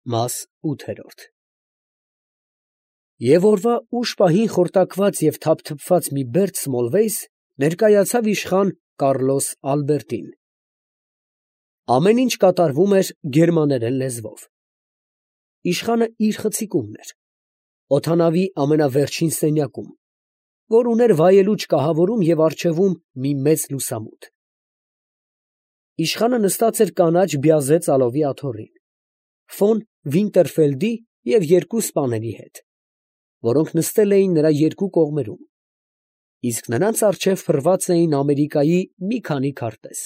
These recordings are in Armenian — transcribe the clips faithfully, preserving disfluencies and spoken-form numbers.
Մաս ութ Եվ օրվա ուշ պահին խորտակված և թափթփված մի բերդ Սմոլվեյս ներկայացավ իշխան Կառլոս Ալբերտին. ամեն ինչ կատարվում էր գերմաներեն լեզվով. իշխանը իր խցիկումն էր, օդանավի ամենավերջին սենյակում, որ ուներ վայելուչ կահավորում և առջևում մի մեծ լուսամուտ. իշխանը նստած էր կանաչ բյազե ծալովի աթոռին, ֆոն Վինտերֆելդի և երկու սպաների հետ, որոնք նստել էին նրա երկու կողմերում, իսկ նրանց առջև փռված էին Ամերիկայի մի քանի քարտեզ.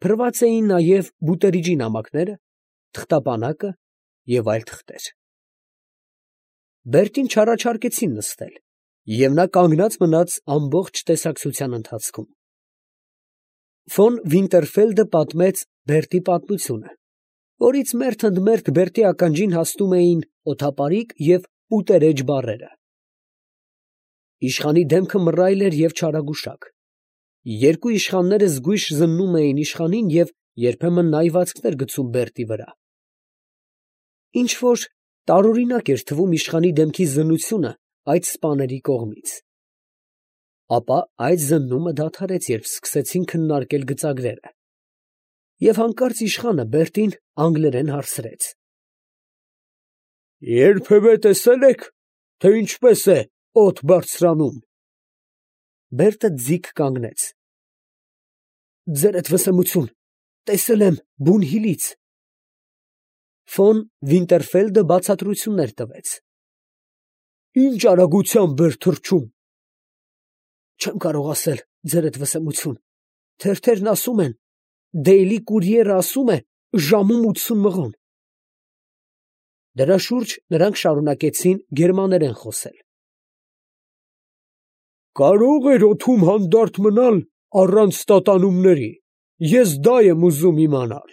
փռված էին նաև Բուտերիջի նամակները, թղթապանակը և այլ թղթեր. Բերտին չառաջարկեցին նստել, և նա կանգնած մնաց ամբողջ տեսակցության ընթացքում. Ֆոն Վինտերֆելդը պատմեց Բերտի պատմությունը, որից մերթ ընդ մերթ Բերտի ականջին հասնում էին օդապարիկ և ուտերեջ բառերը. իշխանի դեմքը մռայլ էր և չարագուշակ, երկու իշխանները զգույշ զննում էին իշխանին և երբեմն նայվածքներ գցում Բերտի վրա. ինչ֊որ տարօրինակ էր թվում իշխանի դեմքի զննությունը այդ սպաների կողմից. ապա այդ զննումը դադարեց, երբ սկսեցին քննարկել գծագրերը, և հանկարծ իշխանը Բերտին անգլերեն հարցրեց. ֊ Երբևէ տեսե՞լ եք, թե ինչպես է օդ բարձրանում։ Բերտը ձիգ կանգնեց. ֊ Ձերդ վսեմություն, տեսել եմ Բունհիլից։ Ֆոն Վինտերֆելդը բացատրություններ տվեց. ֊ Ի՞նչ արագությամբ էր թռչում։ Չեմ կարող ասել, ձերդ վսեմություն, թերթերն ասում են, Դեյլի կուրիերը ասում է ժամում ութսուն մղոն։ Դրա շուրջ նրանք շարունակեցին գերմաներեն խոսել. Կարո՞ղ էր օդում հանդարտ մնալ առանց տատանումների, ես դա եմ ուզում իմանալ։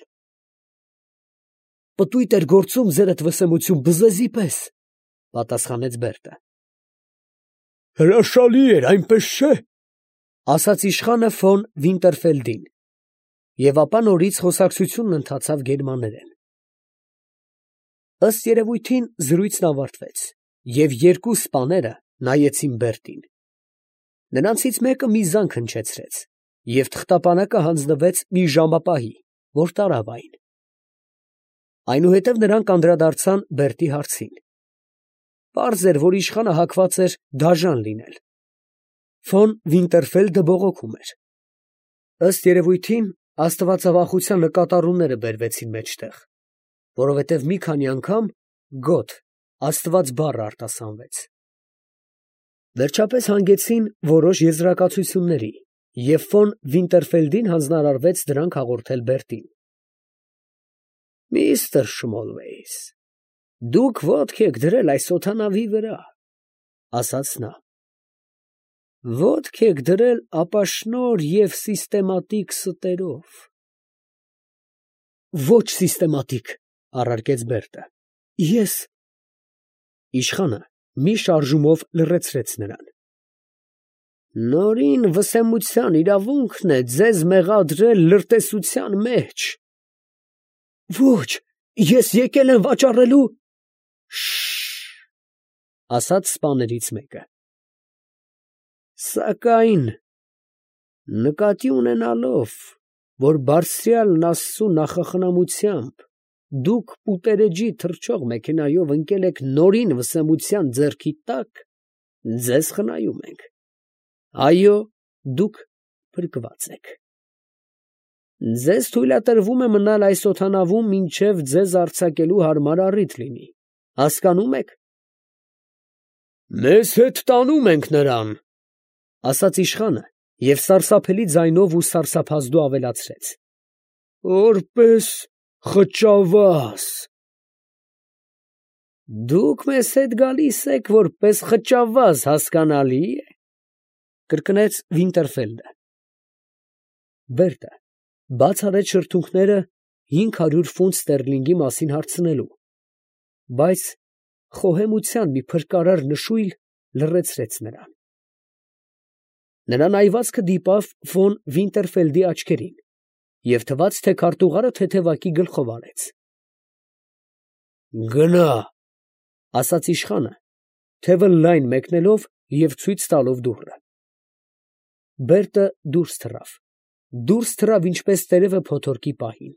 Պտույտ էր գործում, ձերդ վսեմություն, բզեզի պես, պատասխանեց Բերտը։ Հրաշալի էր, այնպես չէ, ասաց իշխանը ֆոն Վինտերֆելդին, և ապա նորից խոսակցությունն ընթացավ գերմաներեն։ Ըստ երևույթին զրույցն ավարտվեց, և երկու սպաները նայեցին Բերտին. նրանցից մեկը մի զանգ հնչեցրեց, և թղթապանակը հանձնվեց մի ժամապահի, որ տարավ այն. այնուհետև նրանք անդրադարձան Բերտի հարցին. պարզ էր, որ իշխանը հակված էր դաժան լինել. Ֆոն Վինտերֆելդը բողոքում էր. ըստ երևույթին աստվածավախության նկատառումները բերվեցին մեջտեղ, որովհետև մի քանի անգամ «Գոթ» աստված բառը արտասանվեց։ Վերջապես հանգեցին որոշ եզրակացությունների, և ֆոն Վինտերֆելդին հանձնարարվեց դրանք հաղորդել Բերտին։ Միստր Շմոլվեյս, դուք ոտք եք դրել այս օդանավի վրա, ասաց նա, ոտք եք դրել ապաշնորհ և սիստեմատիկ ստերով։ Ոչ սիստեմատիկ, առարկեց Բերտը, ես… Իշխանը մի շարժումով լռեցրեց նրան. Նորին վսեմության իրավունքն է ձեզ մեղադրել լրտեսության մեջ։ Ոչ, ես եկել եմ վաճառելու… Շշշ… ասաց սպաներից մեկը։ Սակայն նկատի ունենալով, որ բարձրյալն Աստծու նախախնամությամբ դուք պուտերեջի թռչող մեքենայով ընկել եք նորին վսեմության ձեռքի տակ, ձեզ խնայում ենք. այո, դուք փրկված եք։ Ձեզ թույլատրվում է մնալ այս օդանավում, մինչև ձեզ արձակելու հարմար առիթ լինի, հասկանո՞ւմ եք։ Մեզ հետ տանում ենք նրան, ասաց իշխանը և սարսափելի ձայնով ու սարսափազդու ավելացրեց. որպես խճավազ… Դուք մեզ հետ գալիս եք, որպես խճավազ, հասկանալի է, կրկնեց Վինտերֆելդը։ Բերտը բաց արեց շրթունքները հինգ հարյուր ֆունտ ստերլինգի մասին հարցնելու, բայց խոհեմության մի փրկարար նշույլ լռեցրեց նրան։ Նրա նայվածքը դիպավ ֆոն Վինտերֆելդի աչքերին, և թվաց, թե քարտուղարը թեթևակի գլխով արեց։ Գնա, ֊ ասաց իշխանը, թևը լայն մեկնելով և ցույց տալով դուռը։ Բերտը դուրս թռավ, դուրս թռավ ինչպես տերևը փոթորկի պահին։